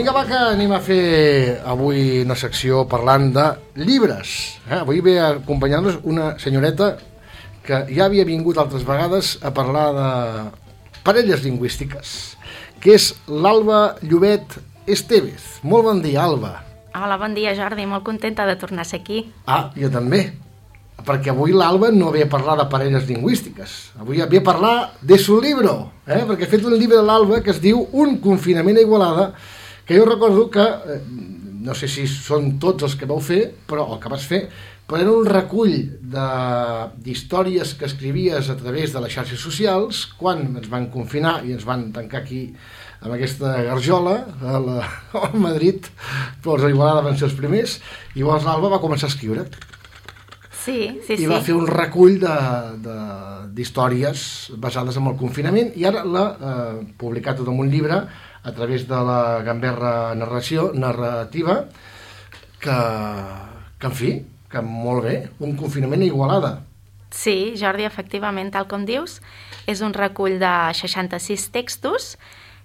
Vinga, va, que anem a fer avui una secció parlant de llibres. Avui ve a acompanyar-nos una senyoreta que ja havia vingut altres vegades a parlar de parelles lingüístiques, que és l'Alba Llobet Estevez. Molt bon dia, Alba. Hola, bon dia, Jordi. Molt contenta de tornar a ser aquí. Jo també, perquè avui l'Alba no ve a parlar de parelles lingüístiques. Avui ve a parlar de su libro, perquè ha fet un llibre de l'Alba que es diu Un confinament a Igualada, que jo recordo que, no sé si són tots els que vau fer, però el que vas fer, però era un recull d'històries que escrivies a través de les xarxes socials quan ens van confinar i ens van tancar aquí amb aquesta garjola a Madrid, però els Igualada van ser els primers, i llavors l'Alba va començar a escriure. Sí. I va fer un recull d'històries basades en el confinament i ara l'ha publicat tot en un llibre a través de la Gamberra narrativa que en fi, que molt bé, un confinament a Igualada. Sí, Jordi, efectivament, tal com dius, és un recull de 66 textos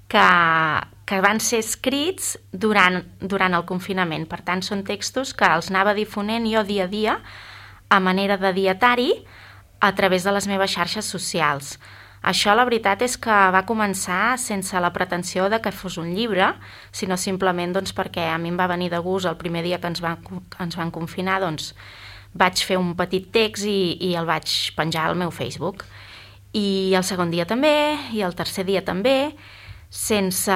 que van ser escrits durant el confinament. Per tant, són textos que els anava difonent jo dia a dia a manera de dietari a través de les meves xarxes socials. Això, la veritat, és que va començar sense la pretensió de que fos un llibre, sinó simplement perquè a mi em va venir de gust el primer dia que ens van confinar, vaig fer un petit text i el vaig penjar al meu Facebook. I el segon dia també, i el tercer dia també, sense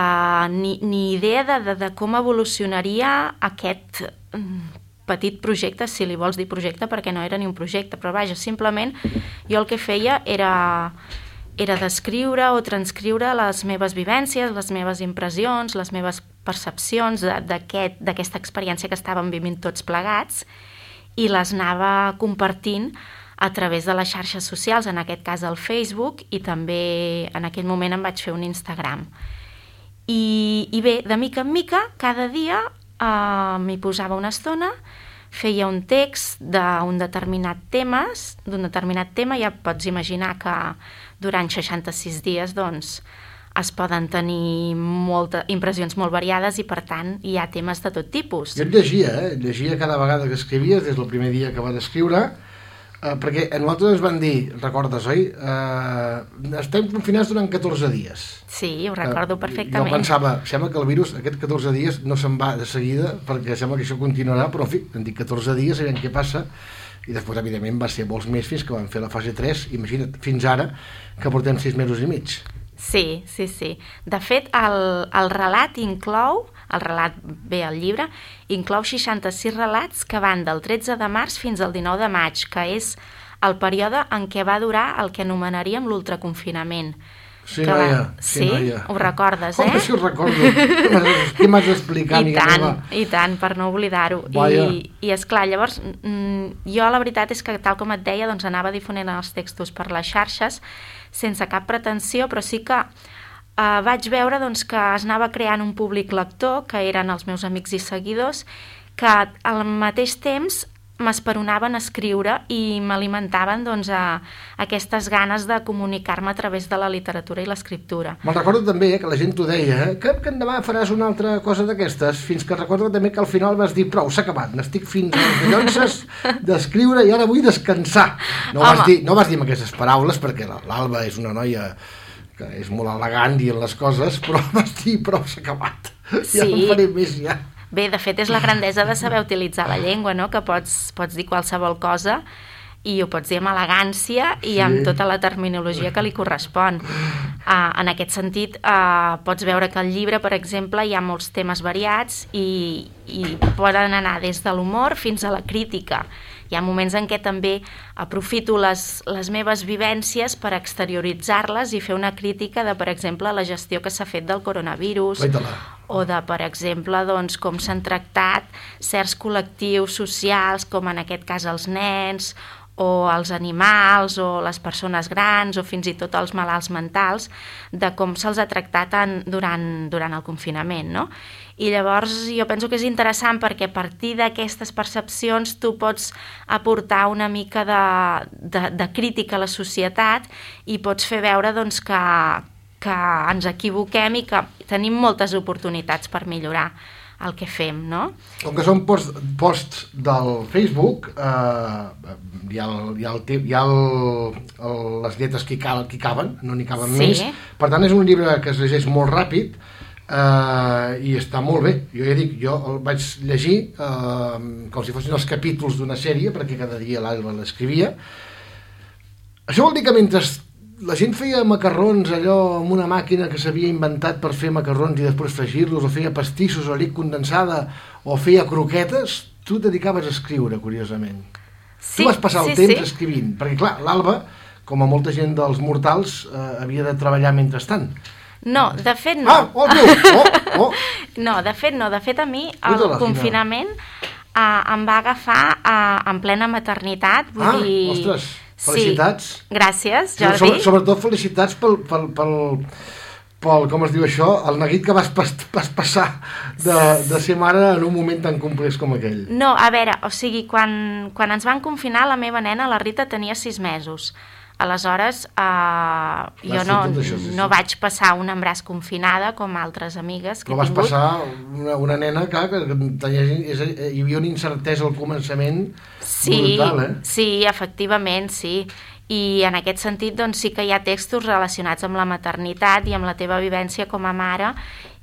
ni idea de com evolucionaria aquest petit projecte, si li vols dir projecte, perquè no era ni un projecte, però vaja, simplement jo el que feia era descriure o transcriure les meves vivències, les meves impressions, les meves percepcions d'aquesta experiència que estàvem vivint tots plegats i les anava compartint a través de les xarxes socials, en aquest cas el Facebook, i també en aquell moment em vaig fer un Instagram. I bé, de mica en mica, cada dia m'hi posava una estona, feia un text d'un determinat tema, ja pots imaginar que durant 66 dies es poden tenir impressions molt variades i per tant hi ha temes de tot tipus. Jo et llegia cada vegada que escrivies, des del primer dia que vas escriure, perquè a nosaltres ens van dir, recordes, oi? Estem confinats durant 14 dies. Sí, ho recordo perfectament. Jo pensava, sembla que el virus aquests 14 dies no se'n va de seguida, perquè sembla que això continuarà, però en fi, hem dit 14 dies, sabem què passa, i després, evidentment, va ser molts més fins que vam fer la fase 3, imagina't, fins ara, que portem 6 mesos i mig. Sí. De fet, el relat inclou, el llibre, inclou 66 relats que van del 13 de març fins al 19 de maig, que és el període en què va durar el que anomenaríem l'ultraconfinament. Sí, noia. Sí, ho recordes, Com que si ho recordo? Què m'has d'explicar? I tant, per no oblidar-ho. I esclar, llavors, jo la veritat és que, tal com et deia, anava difonent els textos per les xarxes sense cap pretensió, però sí que vaig veure que es anava creant un públic lector, que eren els meus amics i seguidors, que al mateix temps m'esperonaven a escriure i m'alimentaven aquestes ganes de comunicar-me a través de la literatura i l'escriptura. Me'n recordo també que la gent t'ho deia, que endavant faràs una altra cosa d'aquestes, fins que recordo també que al final vas dir prou, s'ha acabat, n'estic fins a les collonces d'escriure i ara vull descansar. No vas dir amb aquestes paraules, perquè l'Alba és una noia que és molt elegant dient les coses, però vas dir prou, s'ha acabat, ja no faré més ja. Bé, de fet, és la grandesa de saber utilitzar la llengua, no? Que pots dir qualsevol cosa i ho pots dir amb elegància i amb tota la terminologia que li correspon. En aquest sentit, pots veure que al llibre, per exemple, hi ha molts temes variats i poden anar des de l'humor fins a la crítica. Hi ha moments en què també aprofito les meves vivències per exterioritzar-les i fer una crítica de, per exemple, la gestió que s'ha fet del coronavirus o de, per exemple, com s'han tractat certs col·lectius socials, com en aquest cas els nens, o els animals, o les persones grans, o fins i tot els malalts mentals, de com se'ls ha tractat durant el confinament, no? I llavors jo penso que és interessant perquè a partir d'aquestes percepcions tu pots aportar una mica de crítica a la societat i pots fer veure que ens equivoquem i que tenim moltes oportunitats per millorar el que fem, no? Com que són posts del Facebook, hi ha les lletres que hi caben, no n'hi caben més. Per tant, és un llibre que es llegeix molt ràpid i està molt bé. Jo ja dic, jo el vaig llegir com si fossin els capítols d'una sèrie, perquè cada dia l'Alba l'escrivia. Això vol dir que mentre la gent feia macarrons allò amb una màquina que s'havia inventat per fer macarrons i després fregir-los, o feia pastissos o llet condensada, o feia croquetes, tu et dedicaves a escriure, curiosament. Sí, tu vas passar el temps escrivint, perquè clar, l'Alba, com a molta gent dels mortals, havia de treballar mentrestant. No, de fet no. No, de fet no. De fet a mi el confinament em va agafar en plena maternitat. Vull dir... Ostres, felicitats. Sí, gràcies, Jordi. Sobretot felicitats pel com es diu això, el neguit que vas passar de ser mare en un moment tan complex com aquell. No, a veure, o sigui, quan ens van confinar, la meva nena, la Rita, tenia 6 mesos. Aleshores, jo no vaig passar un embràs confinada com altres amigues que he tingut. Però vas passar una nena que hi havia una incertesa al començament brutal, Sí, efectivament, sí. I en aquest sentit doncs, sí que hi ha textos relacionats amb la maternitat i amb la teva vivència com a mare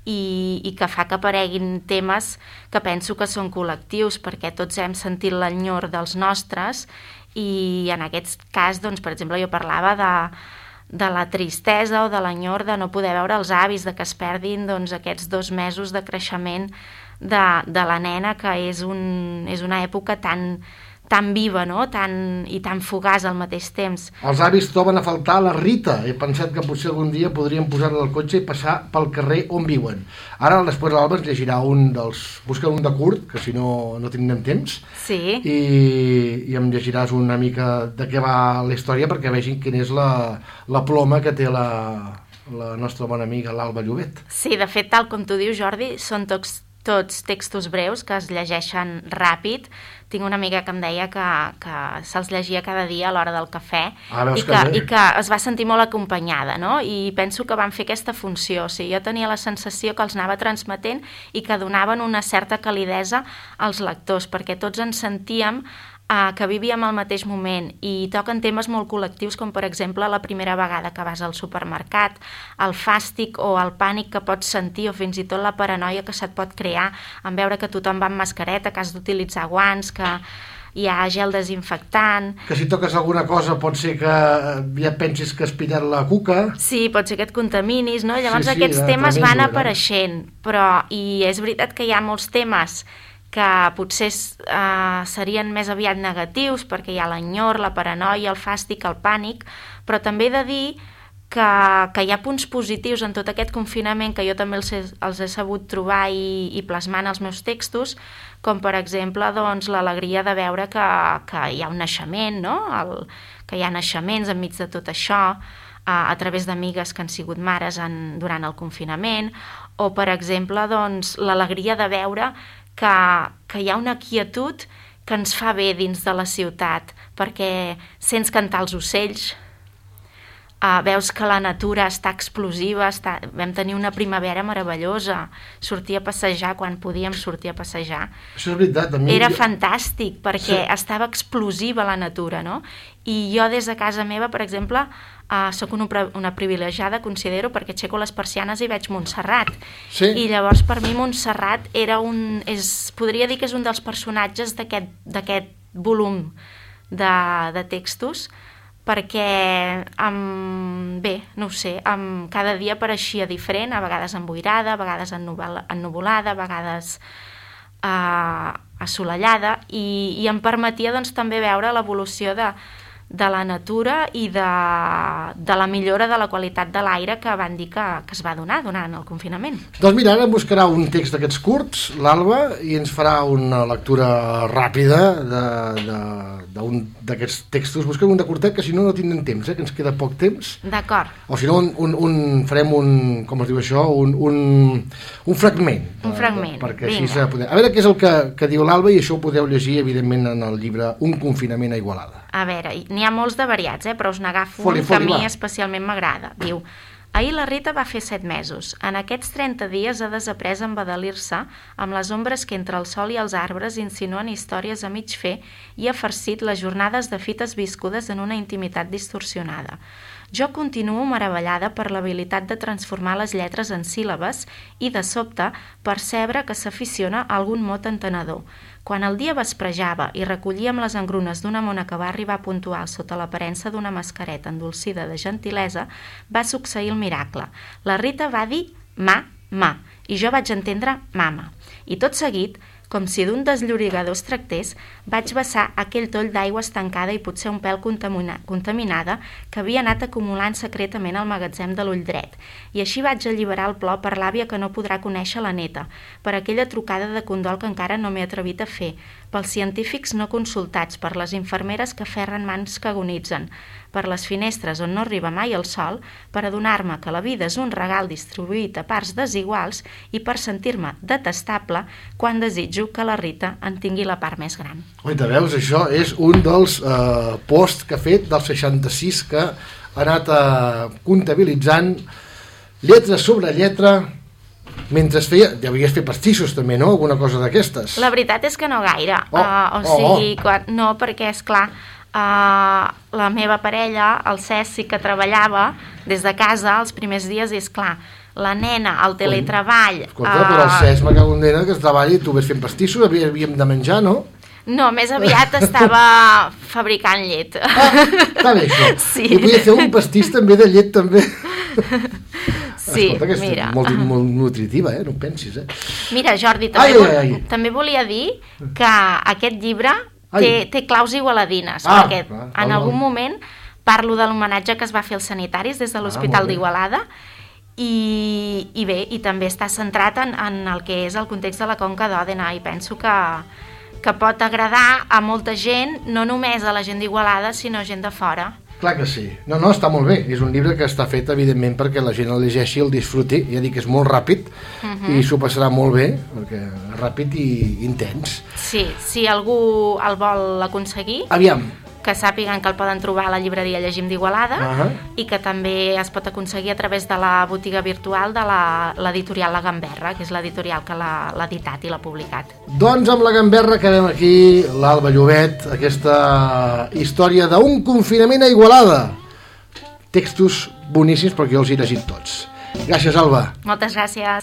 i que fa que apareguin temes que penso que són col·lectius, perquè tots hem sentit l'enyor dels nostres i en aquest cas, doncs, per exemple, jo parlava de la tristesa o de l'enyor de no poder veure els avis, de que es perdin doncs, aquests 2 mesos de creixement de la nena, que és una època tan viva, no? I tan fugaç al mateix temps. Els avis troben a faltar la Rita. He pensat que potser algun dia podríem posar-la al cotxe i passar pel carrer on viuen. Ara, després l'Alba ens llegirà busca un de curt, que si no tindrem temps. Sí. I em llegiràs una mica de què va la història perquè vegin quina és la ploma que té la nostra bona amiga l'Alba Llobet. Sí, de fet, tal com tu dius, Jordi, són tots textos breus que es llegeixen ràpid. Tinc una amiga que em deia que se'ls llegia cada dia a l'hora del cafè i que es va sentir molt acompanyada, no? I penso que van fer aquesta funció. O sigui, jo tenia la sensació que els anava transmetent i que donaven una certa calidesa als lectors, perquè tots ens sentíem que vivíem al mateix moment i toquen temes molt col·lectius com per exemple la primera vegada que vas al supermercat, el fàstic o el pànic que pots sentir o fins i tot la paranoia que se't pot crear en veure que tothom va amb mascareta, que has d'utilitzar guants, que hi ha gel desinfectant... Que si toques alguna cosa pot ser que ja pensis que has pillat la cuca... Sí, pot ser que et contaminis, no? Llavors aquests temes van apareixent, però i és veritat que hi ha molts temes que potser serien més aviat negatius perquè hi ha l'enyor, la paranoia, el fàstic, el pànic, però també he de dir que hi ha punts positius en tot aquest confinament que jo també els he sabut trobar i plasmar en els meus textos, com per exemple doncs, l'alegria de veure que hi ha un naixement, no? Que hi ha naixements enmig de tot això, a través d'amigues que han sigut mares durant el confinament, o per exemple doncs, l'alegria de veure que hi ha una quietud que ens fa bé dins de la ciutat, perquè sents cantar els ocells, veus que la natura està explosiva, vam tenir una primavera meravellosa, sortir a passejar quan podíem sortir a passejar. Això és veritat. Era fantàstic, perquè estava explosiva la natura, no? I jo des de casa meva, per exemple, soc una privilegiada, considero, perquè aixeco les persianes i veig Montserrat. Sí. I llavors per mi Montserrat podria dir que és un dels personatges d'aquest volum de textos, perquè bé, no ho sé, cada dia apareixia diferent, a vegades emboirada, a vegades ennuvolada, a vegades assolellada, i em permetia doncs, també veure l'evolució de la natura i de la millora de la qualitat de l'aire que van dir que es va donar durant el confinament. Doncs mira, ara buscarà un text d'aquests curts, l'Alba, i ens farà una lectura ràpida d'un d'aquests textos. Busquem un de curtet, que si no tindrem temps, que ens queda poc temps. D'acord. O si no, farem com es diu això, un fragment. Un fragment, perquè així a veure què és el que diu l'Alba, i això ho podeu llegir, evidentment, en el llibre Un confinament a Igualada. A veure, n'hi ha molts de variats, però us n'agafo un que a mi especialment m'agrada. Diu: Ahir la Rita va fer 7 mesos. En aquests 30 dies ha desaprès a embadalir-se amb les ombres que entre el sol i els arbres insinuen històries a mig fer i ha farcit les jornades de fites viscudes en una intimitat distorsionada. Jo continuo meravellada per l'habilitat de transformar les lletres en síl·labes i, de sobte, percebre que s'aficiona a algun mot entenedor. Quan el dia vesprejava i recollíem les engrunes d'una mona que va arribar puntual sota l'aparença d'una mascareta endolcida de gentilesa, va succeir el miracle. La Rita va dir ma, i jo vaig entendre mama. I tot seguit, com si d'un desllorigador es tractés, vaig vessar aquell toll d'aigua estancada i potser un pèl contaminada que havia anat acumulant secretament al magatzem de l'ull dret. I així vaig alliberar el plor per l'àvia que no podrà conèixer la neta, per aquella trucada de condol que encara no m'he atrevit a fer, pels científics no consultats, per les infermeres que ferren mans que agonitzen, per les finestres on no arriba mai el sol, per adonar-me que la vida és un regal distribuït a parts desiguals i per sentir-me detestable quan desitjo que la Rita en tingui la part més gran. Oita, veus, això és un dels posts que ha fet del 66 que ha anat comptabilitzant lletra sobre lletra mentre feia... Ja havies fet pastissos també, no? Alguna cosa d'aquestes. La veritat és que no gaire. No, perquè, esclar, la meva parella, el Cesc, sí que treballava des de casa els primers dies i, esclar, la nena, el teletreball... Escolta, però el Cesc, me cago en nena, que es treballi i tu ves fent pastissos, havíem de menjar, no? No, més aviat estava fabricant llet. Està bé, això. Sí. I podia fer un pastís també de llet, també. Sí, escolta, que és mira. molt nutritiva, no ho pensis, Mira, Jordi, també volia dir que aquest llibre té claus igualadines, perquè en algun moment parlo de l'homenatge que es va fer als sanitaris des de l'Hospital d'Igualada i bé, i també està centrat en el que és el context de la Conca d'Òdena i penso que pot agradar a molta gent, no només a la gent d'Igualada, sinó gent de fora. Clar que sí. No, està molt bé. És un llibre que està fet, evidentment, perquè la gent el llegeixi, el disfruti. Ja dic que és molt ràpid i s'ho passarà molt bé, perquè és ràpid i intens. Sí, si algú el vol aconseguir... Aviam. Que sàpiguen que el poden trobar a la llibreria Llegim d'Igualada i que també es pot aconseguir a través de la botiga virtual de l'editorial La Gamberra, que és l'editorial que l'ha editat i l'ha publicat. Doncs amb La Gamberra acabem aquí, l'Alba Llobet, aquesta història d'un confinament a Igualada. Textos boníssims perquè jo els he llegit tots. Gràcies, Alba. Moltes gràcies.